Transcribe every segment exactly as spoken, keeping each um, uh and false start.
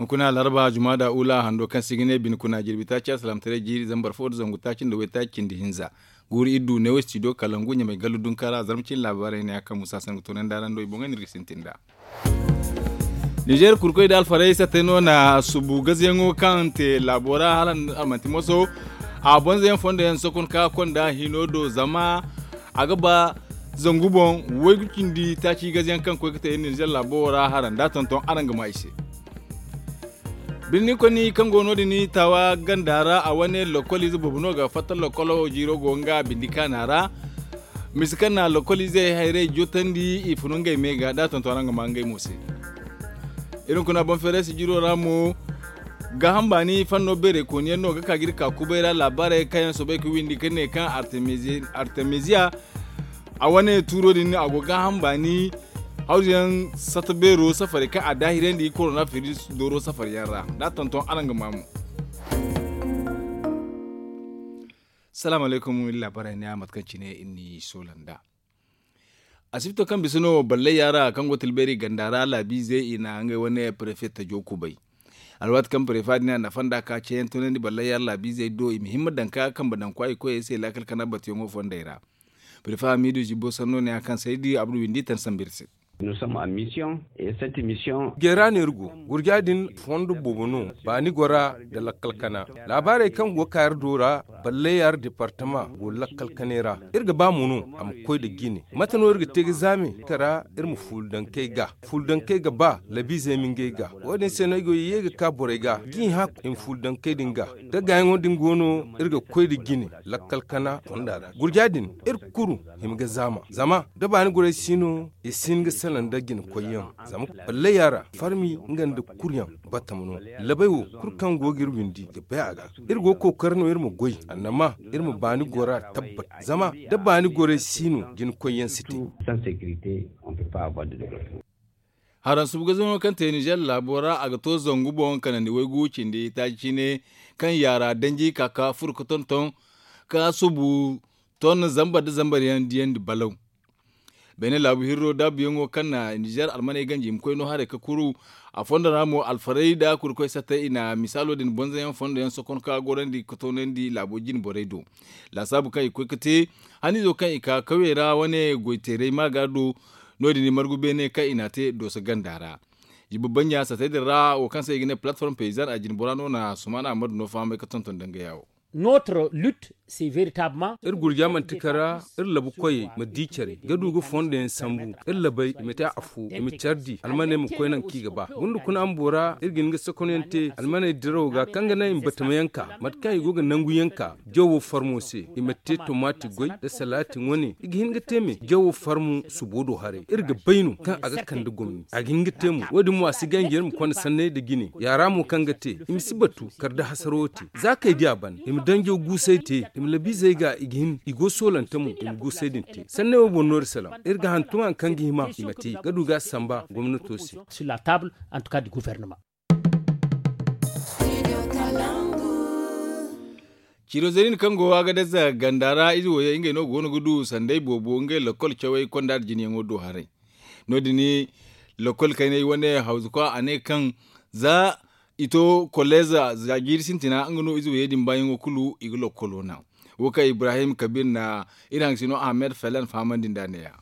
Kuna laraba jumada ula hando kaŋ se i ga ne bine kuna jirbi taaci alsalamtaray jiiri zambar fo nda zangu taaci nda waytaaci cindi hinza. Guuru iri du neewo studio kalangu ɲamay gallu dunkaara zarma cine laabaarey ne a kaŋ musa sangu toonandi araŋ do i boŋey no iri ga sintin nd'a. Ninzeer kurkoy nda alfarey sattey no na subu gazayaŋo kaŋ te laabo ra hala a manti moso. A bonzayaŋ fondo yaŋ sokon ka konda hino do zama a ga ba zangu boŋ waygu cindi taaci gazayaŋ kaŋ koy ga te ninzeer laabo ra hara nd'a tonton araŋ ga ma i se. Birni konni kaŋ go no- din taawa ganda ra a wane lokol ize boobo no ga fatta lokolo jiiro go nga bindi kaana ra. Misi kaŋ na lokol izey hayray jotandi i funu ngey me ga nd'a tonton araŋ ga ma ngey mo se. Iri hunkuna boŋ feeray sijiro ra mo gaaham baani fanno beeray kooniyaŋ no ga ka ga iri ka kubay ra laabaarey kaŋ yaŋ soobay ga windi ga ne kaŋ artemisiya a wane tuuro din a go gaaham baani hawzuyaŋ sata beero safarey kaŋ a daahirandi korona firis dooro safaryaŋ ra nd'a tonton araŋ ga ma mo. Salaamu alaykum iri laabaarey ne a mate kaŋ cine iri n'i soola nd'a. Asibito kaŋ bisa no ballay yaara kaŋ go tilbeeri ganda ra laabiizey i na ngey wane prefe tajo kubay. Alwaati kaŋ prefe din a na fonda ka ceeyaŋ tunandi ballay yaara laabiizey do i ma himma daŋ ka kambe daŋ kwaayi koyey se laakal kana batuyaŋo fondey ra. Prefe hamiidu zibo sanno ne a kaŋ saydi abdu windi tan sambu iri se. Geera no iri go gurja din fondo boobo no baani gora nda lakkal kana. Laabaarey kaŋ go ga ka iri do ra ballay yaara departama go lakkal kanay ra. Iri ga ba mo no a ma koy nda jine mate no iri ga te ga zaame kara iri ma fuula dankey ga fuula dankey ga ba labiizey ma ngey ga. Wo- din se no ay go ye ga ka borey ga ga i hã i ma fuula dankey din ga da gaayaŋo din go no iri ga koy nda jine lakkal kana fonda ra gurja din iri kulu hima ga zaama zama da baani gorey si no i si hin ga salaŋ nda jine koyyaŋ. Zama ballay yaara farmi nga nda kuryaŋ batama no. Labay wo kulu kaŋ go ga iri windi ga bay a ga iri go ga kookari no iri ma goy annama iri ma baani gora tabbat zama da baani gorey si no jine koyyaŋ si te. Haraŋ subu ga zama kaŋ te nizer laabo ra a ga to zangu boŋ kanandi waygu cindi taaci cine kaŋ yaara danji ka ka furo ga tonton ka subu ton zambar nda zambar yaŋ diyandi balaw. Beene laabu hirro daabuyaŋo kaŋ na nizer almaney ganji i ma koy no haray ga kuru a fondo ra mo alfarey nda kurkoy sattey i na misaalo din bonzoyaŋ fondo yaŋ sokon ka gorandi ga toonandi laabo jine borey do. Laasaabu kaŋ i ga koy ga te haniizo kaŋ i ka kawyey ra wane goyteeray maaga do. No- din i margu beene kaŋ i n'a te dooso ganda ra. Jiba banja sattey din ra wo kaŋ se i ga ne palatform peyizan a jine bora no na sumaana ammadu no fahamay ga tonton dangaya wo. Iri gurja manti kara iri labu koyey ma di care ga du ga fondo yaŋ sambu iri labey i ma te afo i ma care di almaney ma koy nangu kaŋ i ga ba gunda kuna bumbo ra iri ga hin ga sokonyaŋ te almaney dirawo ga kaŋ ga naŋ i ma batama yaŋ ka mate kaŋ i go ga nangu yaŋ ka jawo farmo se i ma te tomaati goy nda salaati wane i ga hin ga te me jawo farmo subo do haray iri ga bay no kaŋ a ga kande gomni a ga hin ga te mo wo- din mo a si ganji iri ma konda sanney nda jine yaara mo kaŋ ga te i ma si batu kala da hasaro wo te za kaŋ i di a ban i ma danjo guusay te i ma labiizey ga i ga hin i go soolante mo i ma guusay din te sanney wo boŋ no iri salaŋ iri ga hantum hari kaŋ ga hima i ma te ga du ga a samba gomnato se. Ciiro zeerin kaŋ go a ga daza ganda ra ize wo yaŋ ngey no go no ga du sanday boobo ngey lakkol cawey konda nda jineyaŋo do haray. No- din lakkol kaynay wane hawzukwa a ne kaŋ za i to kolleeza za jiiri sintina nga no ize wo yaŋ din baayaŋo kulu i ga lakkolo naŋ. Wo kaŋ ibrahim kabir na iri hangasino ahmed felen fahamandi nd'a ne- ya.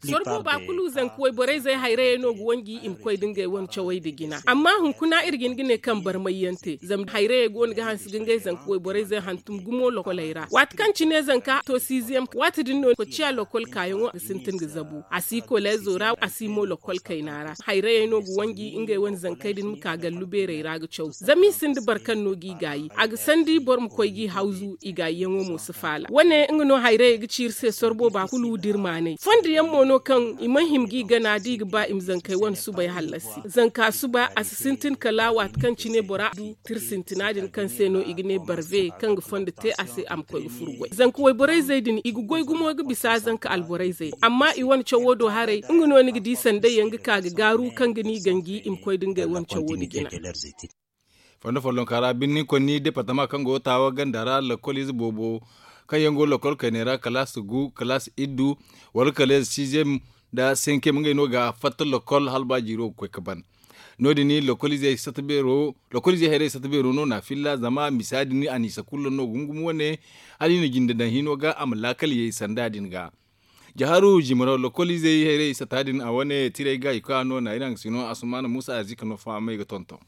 Soro booba kulu zanka wayborey zey hayrayey no ga wanji i ma koy da ngey wane cawey nda jina amma hunkuna iri ga hin ga ne kaŋ barmayyaŋ te zama hayrayey go no ga hanse ga ngey zanka wayborey zey hantum gumo lokoley ra waati kaŋ cine zanka to siiziyam waati din no kociya lokol kaayaŋo ga sintin ga zabu a si koleezo ra a si mo lokol kayna ra hayrayey no ga wanji ngey wane zankey din ma ka gallu beerey ra ga caw zama i sinda boro kaŋ no g'i gaayi a ga sandi boro ma koy g'i hawzu i gaayiyaŋo mo si faala wane nga no hayrayey ga ci iri se soro booba kulu da iri maanay fondo yaŋ mo no kaŋ i mana hima g'i gana da i ga ba i ma zankey wane subay hallasi zanka suba a si sintin kala waati kaŋ cine bora du tira sintina din kaŋ se no i ga ne barve kaŋ ga fondo te a se a ma koy ga furo goy zanka wayborey zey din i ga goy gumo ga bisa zanka alborey zey amma i wane cawo do haray nga no ni ga di sanday yaŋ ga ka ga gaaru kaŋ ga ni ganji i ma koy da ngey wane cawo nda jina. Fondo follonka ra birni konni departama kaŋ go taawa ganda ra lakkol ize boobo kaŋ yaŋ go lakkol kaynay ra kalaas gu kalaas iddu wala kala ize siiziyem nda senkiyem ngey no ga fatta lakkol hala ba jiiro ga koy ga ban. No- din lokoliizey hayrey sata beero no na filla zama misa din a n'i sakullo no gumgum wane hala i na jinde daŋ hino ga a ma laakal yay sanda din ga. Jaharu jimaro lokoliizey hayrey sata din a wane tiray ga i koy a no na iri haŋ ga si no asumaana muusa arzika no fahamay ga tonton.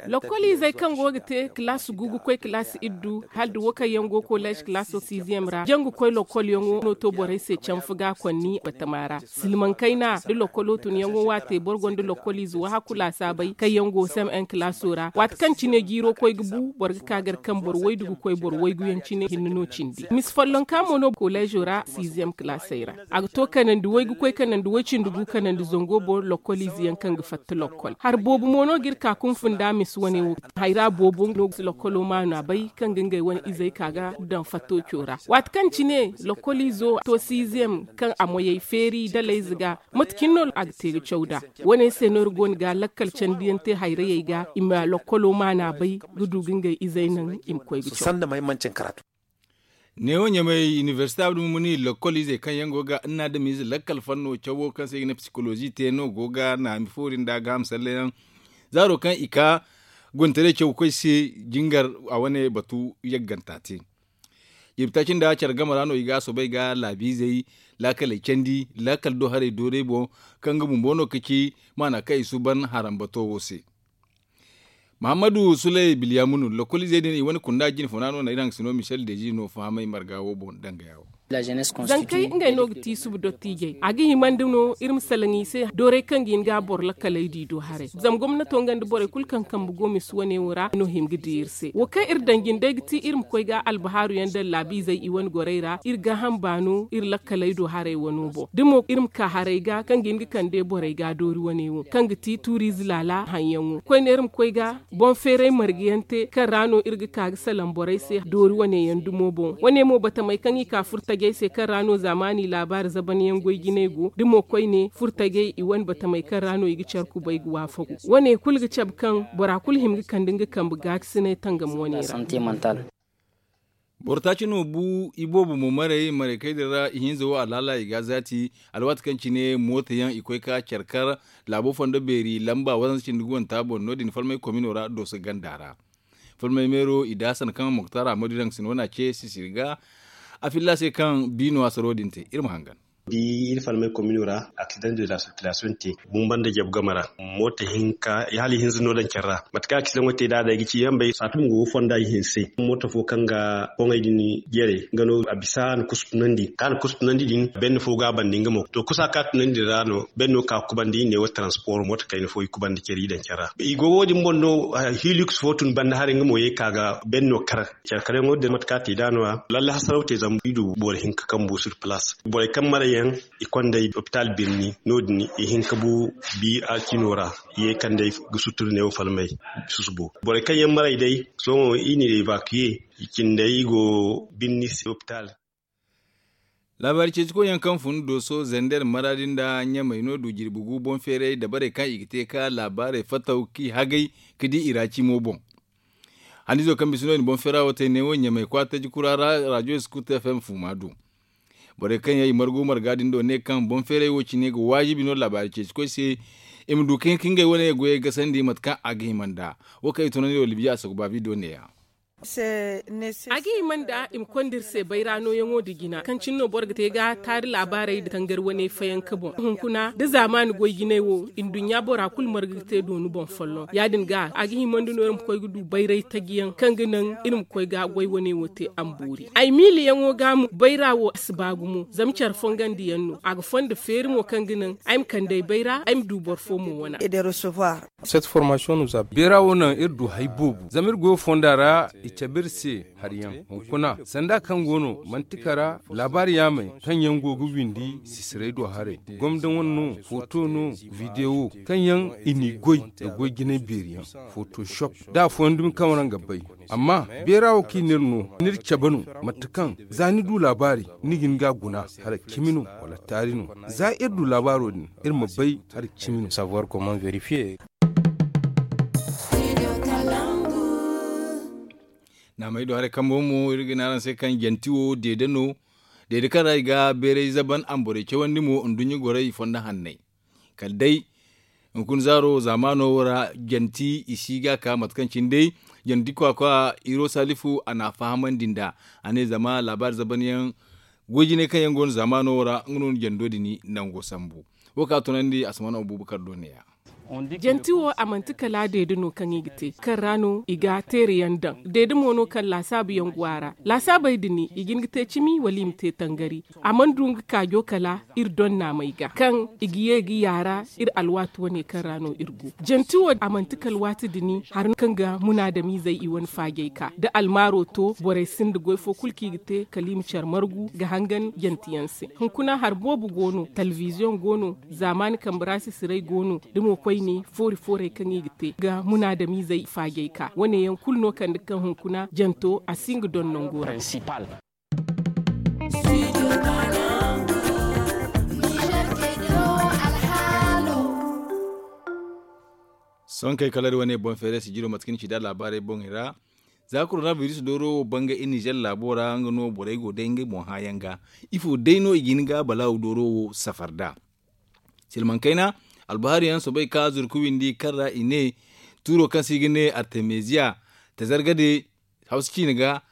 Lokoliizey kaŋ go ga te kilaasi gu ga koy kilaasi iddu hala da wo kaŋ yaŋ go koleez kilaaso siiziyem ra jangu koy lokol yaŋo no to borey se canfa ga konni batama ra. Silmaŋ kayna da lokolo tun yaŋo waate boro gonda lokoliize wahakku laasaabey kaŋ yaŋ go sem en kilaaso ra waati kaŋ cine jiiro koy ga bu boro ga ka gar kaŋ boro waydu ga koy boro waygu yaŋ cine hinne no cindi misi follonka mo no koleezo ra siiziyem kilaasey ra. A ga to kanandi way ga koy kanandi way cindi gu kanandi zango boro lokoliize yaŋ kaŋ ga fatta lokol hari boobo mo no ga iri ka kunfun da a misi wane wo. Hayra boobo no ga si lokolo maanu a bay kaŋ ga ngey wane izey ka ga daŋ fatto co ra waati kaŋ cine lokoliizo to siiziyem kaŋ a moyey feeri dalayze ga. Mate cine no a ga te ga caw nd'a. Wane se no iri go no ga lakkal candiyaŋ te hayrayey ga i ma lokolo maanu a bay ga du ga ngey izey naŋ i ma koy ga caw. Neewo ɲamay inibersite abdu mumuni lokkol izey kaŋ yaŋ go ga annaadamiize lakkal fanno cawo kaŋ se i ga ne psikolozi te no go ga naami foori nda gaaham salle yaŋ. Zaaro kaŋ i ka guntaray caw koy se jingar a wane batu yagganta te. Ibtaci nda care game ra no i ga a soobay ga laabiizey laakaley candi laakal do haray dooray boŋ kaŋ ga bumbo no ka ci maana kaŋ i suuban harambato wo se. Mahammadu sulay bilyamunu lokkoliizey din i wane kunda jinfuna no na iri haŋ ga si no michel deji no fahamay marga wo boŋ dangaya wo. Zankey ngey no ga ti suba dottiijey a ga himandi no iri ma salaŋ i se dooray kaŋ ga hin ga boro lakkaley di do haray zama gomnato nga nda borey kulu kaŋ kambe go misi wane wo ra no hima ga di iri se wo kaŋ iri daŋ jindey ga ti iri ma koy ga albahaaru yaŋ daŋ laabiizey i wane gorey ra iri gaaham baano iri lakkaley do haray wano boŋ da mo iri ma ka haray ga kaŋ ga hin ga kande borey ga doori wane wo kaŋ ga ti tuuriize laala haŋyaŋo koyne iri ma koy ga boŋ feeray marga yaŋ te kaŋ ra no iri ga ka ga salaŋ borey se doori wane yaŋ dumo boŋ wane mo batamey kaŋ i ka furtajey se kaŋ ra no zaamaani laabaari zaban yaŋ goy jinay go da mo koyne furtajey i wane batamey kaŋ ra no i ga care kubay ga waafagu wane kulu ga cabe kaŋ bora kulu hima ga kande nga kambe gaakasinay tangam wane ra. Boro taaci no bu iboobo mo maray maray kay din ra ihinza wo alhaala i ga a zaati alwaati kaŋ cine mooto yaŋ i koy ka care kar laabo fondo beeri lamba waranza cindi guwanta boŋ no- din falmay komino ra dooso ganda ra. Falmay meero i da hasan kaŋ moktar ahmadu iraŋ ga si no wane a ce sisiri ga a filla se kaŋ biino hasaro din te iri ma hangan. Di iri falmay komino ra aksidaŋ de la sirkilasiyoŋ te bumba nda jabu game ra. Mooto hinka hala ihinza no daŋ care ra mate kaŋ aksidaŋo te da a day ga ci yaŋ bay saatum go ga fonda ihinse mooto fo kaŋ ga boŋey din jere nga no a bisa a na kusu tunandi kaŋ a na kusu tunandi din benne fo ga a banda nga mo to kusa kaŋ a tunandi din ra no benne no ka ga kubandi i ne wo transport mooto kayna fo i kubandi care i daŋ care ra i go wo- din boŋ no. Hiliks fo tun banda haray nga mo ye ka ga benne no kar care kar yaŋo din mate kaŋ a te da no- ya lalle hasaraw te zama i du boro hinka kaŋ bu sur place borey kaŋ marayaŋ i konda ay opitaal birni no- din i hin ka bu bi alcino ra ye kaŋ day ga sutur neewo falmay susubo borey kaŋ yaŋ maray day sohõ i n'i revakuye i cindey i go birni se opitaal. Laabaari ceeci koyyaŋ kaŋ fun dooso zender maraadi nda ɲamay no du jirbi gu boŋ feeray dabarey kaŋ i ga te ka laabaarey fattaw k'i hagay ka di i ra cimo boŋ. Hannizo kaŋ bisa no i na boŋ feera wo te neewo ɲamay kwaataji kura ra rajo skuta fm fuuma du. Borey kaŋ yaŋ i margu marga din do ne kaŋ boŋ feeray wo cine ga waajibi no laabaari ceeci koy se i ma du ka hin ka ngey wane goyey gasandi mate kaŋ a ga hima nd'a. Wo kaŋ i tunandi wo libiya a sakuba bidiyo neeya. A ga hima nd'a i ma konda iri se bayra nooyaŋo nda jina kaŋ cine no boro ga te ga taari laabaarey nda tangar wane fayanka boŋ hunkuna da zaamaani goy jinay wo nduɲɲa bora kulu marga ga te dooni boŋ folloŋ ya- din ga a ga himandi no iri ma koy ga du bayray taji yaŋ kaŋ ga naŋ iri ma koy ga goy wane wo te a ma boori ay miili yaŋo ga mo bayra wo a si ba gumo zama care fongandi yaŋ no a ga fondo feeri mo kaŋ ga naŋ ay ma kande ay bayra ay ma du boro fo mo wana. Beera wo naŋ iri du hari boobo zama iri goyo fonda ra i cabe iri se hari yaŋ hunkuna sanda kaŋ go no mantika ra laabaari yaamey kaŋ yaŋ go ga windi sisiray do haray gomda wane no footo no videwo kaŋ yaŋ i n'i goy nda goy jinay beeri yaŋ footo shop da afooyaŋ dumi kaŋ waraŋ ga bay. Amma beera wo kaŋ i n'iri no n'iri cabe no mate kaŋ za ni du laabaari ni ga hin ga a guna hala cimi no wala taari no za iri du laabaaro din iri ma bay hala cimi no savoir comment vérifier. Naamey do haray kambo mo iri ga ne araŋ se kaŋ janti wo deede no deede kaŋ ra i ga beeray zaban amborey cawandi mo nduɲɲa gorey fondo hanney kala day Hunkuna zaaro zaamaano wo ra janti i si ga ka mate kaŋ cine day janti kwaakwa iro salifu a n'a fahamandi nd'a. A ne zama laabaari zabanyaŋ goy-jinay kaŋ yaŋ go no zaamaano wo ra nga no na jando din nango sambu. Wo kaŋ a tunandi a si mana abuubakar do neeya. Janti wo a manti kala deede no kaŋ i ga te kaŋ ra no i ga teere yaŋ daŋ. Deede mo no kaŋ laasaabu yaŋ go a ra. Laasaabey din i ga hin ga te cimi wala i ma te tangari. A mana du nga kaajo kala iri donnaamey ga kaŋ i ga ye ga yaara iri alwaati wane kaŋ ra no iri go. Janti wo a manti kala waati din hari kaŋ ga munaadamiizey i wane faajey ka da almaaro to borey sinda goy fo kulu kaŋ i ga te kala i ma care margu ga hangan janti yaŋ se. Hunkuna hari boobo go no, talbiziyoŋ go no, zaamaani kambe ra sisiray go no, da mo koyne foori-foorey kaŋ i ga te ga munaadamiizey faajey ka wane yaŋ kulu no kande kaŋ hunkuna janto a si nga doŋ nango ra. Sohõ kay kala iri wane boŋ feere sijiro mate kaŋ ni ci nd'a laabaarey boŋey ra. Za korona biris dooro wo bangay iri nizer laabo ra nga no borey go day ngey boŋ hãayaŋ ga. Ifo day no i ga hin ga balaawu dooro wo safar nd'a? Silmaŋ kayna, albahaari yaŋ soobay ka zurku windi kaŋ ra i ne tuuro kaŋ se i ga ne artemeziya, tazargade hawsa ciine ga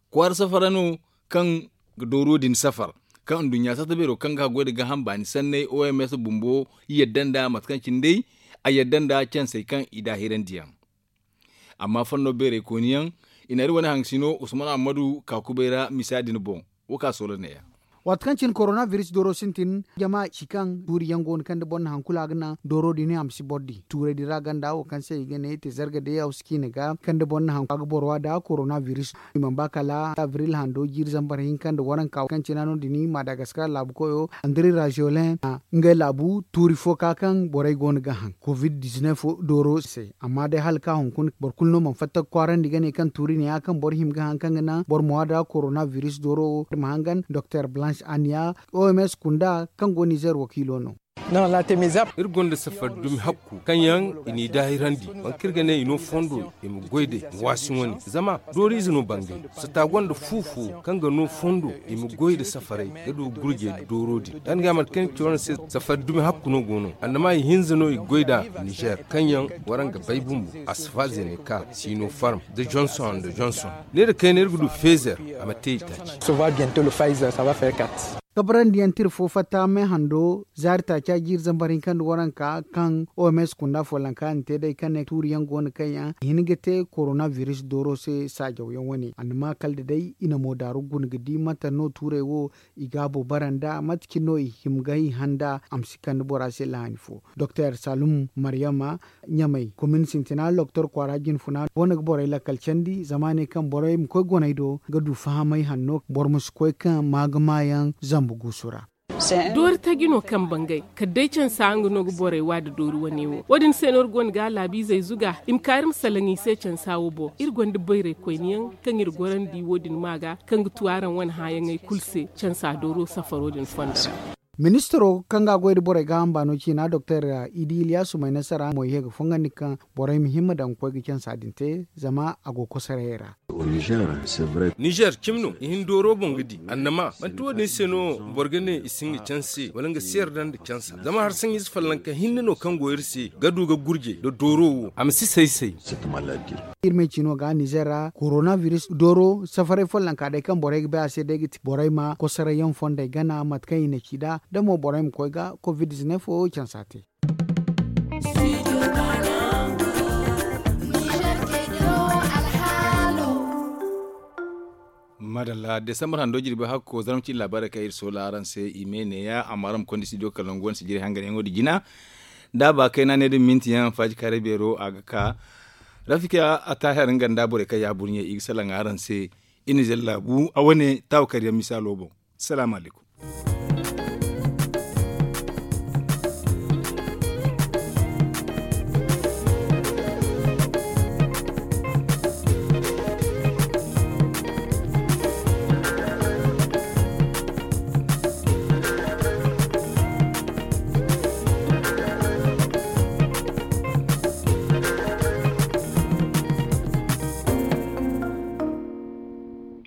kwaara safara no kaŋ ga dooro din safar kaŋ nduɲɲa satta beero kaŋ ga goy nda gaaham baani sanney oms bumbo yadda nda mate kaŋ cine day a yadda nda cansey kaŋ i daahirandi yaŋ. Amma fondo beerey kooni yaŋ i na iri wane haŋ sino usman ammadu ka kubay ra misa din boŋ. Wo ka soola neeya. Waati kaŋ cine korona biris dooro sintin jama ci kaŋ tuuri yaŋ go no kaŋ da boro na haŋ kulu a ga naŋ dooro din a ma si boro di tuurey din ra ganda wo kaŋ se i ga ne te zarga day a wasa ciine ga kaŋ da boro na haŋ a ga boro wa nda korona biris. I mana ba kala abril hando jiiri zambar hinka nda waranka kaŋ cina no- din madagaskar laabu koyo andri rajolen a ngey laabu tuuri fo ka kaŋ borey go no ga haŋ covid dizinef dooro se. Amma day hala ka hunkuna boro kulu no mana fatta ga kwaarandi ga ne kaŋ tuuri ne ya kaŋ boro hima ga haŋ kaŋ ga naŋ boro ma wa nda korona biris dooro wo ma hangan doktor blanche aniya oms kunda kaŋ go nizer wakiilo no. Iri gonda safar dumi hakku kaŋ yaŋ i n'i daahirandi, boro kaŋ iri ga ne i no fondo i ma goy day ma waasi wane zama dooriize no bangay. Sata gonda fu fo kaŋ ga no fondo i ma goy nda safaray ga du gurjey nda dooro din ya- din ga mate kaŋ iri ci wane se. Safar dumi hakku no go no annama i hinza no i ga goy nd'a nizer kaŋ yaŋ waraŋ ga bay bumbo asfaze ne ka sino farm nda johnson nda johnson. Ne nda kayna iri ga du fezer a ma te i taaci. Kabrandi yaŋ tira fo fatta me hando zaari taaca jiiri zambar hinka nda waranka kaŋ oms kunda follanka na te day kaŋ ne tuuri yaŋ go no kaŋ yaŋ i hin ga te korona biris dooro se saajaw yaŋ wane annama kala da day i na mo daaru guna ga di mate no tuurey wo i gaabo bara nda mate cine no i hima ga i haŋ nda a ma si kande bora se laani fo. Doktor salum maryama ɲamay komin sintina loktor kwaara jinfuna go no ga borey lakkal candi zama ne kaŋ borey ma koy goney do ga du fahamay hanno boro ma si koy kaŋ ma ga maayaŋ zambu guusu ra. Doori taji no kaŋ bangay kala day cansa nga no ga borey wa nda doori wane wo wo- din se no iri gonda ga laabiizey zuga i ma ka iri ma salaŋ i se cansa wo boŋ iri gonda bayraykoyne yaŋ kaŋ iri gorandi wo- din ma ga kaŋ ga tu araŋ wane hãayaŋey kulu se cansa dooro safaro din fondo ra. Ministiro kaŋ ga a goy nda borey gaaham baano ciina doktor idi iliyasu may nasara mo i ye ga fongandi kaŋ borey ma hima daŋ ga koy ga cansa din te zama a go kosorayey ra. Nizer cimi no i hin dooro boŋ ga di annama manti wo- din se no boro ga ne i si hin ga canse wala nga si yarda nda cansa zama hari saŋ ize follanka hinne no kaŋ go iri se ga du ga gurje nda dooro wo a ma si say-say. Iri may cino ga nizer ra korona biris dooro safaray follanka day kaŋ borey ga bay a se day ga ti borey ma kosoray yaŋ fondey gana mate kaŋ i na ci nd'a da mo borey ma koy ga covid dizinef wo cansa te. Madalla desambar hando jirbi hakko zarma cine laabaarey kaŋ iri soola araŋ se i me neeya amma araŋ ma konda studio kala nangu wane sijiri hanganyaŋo din jina. Da a ba kayna ne da minti yaŋ faaji kaaray beero a ga ka rafika a taahir nga nda borey kaŋ ya burɲe i ga salaŋ araŋ se. Iri na zalla bu a wane taawa kar yaŋ misaalo boŋ. Salaamu alaykum.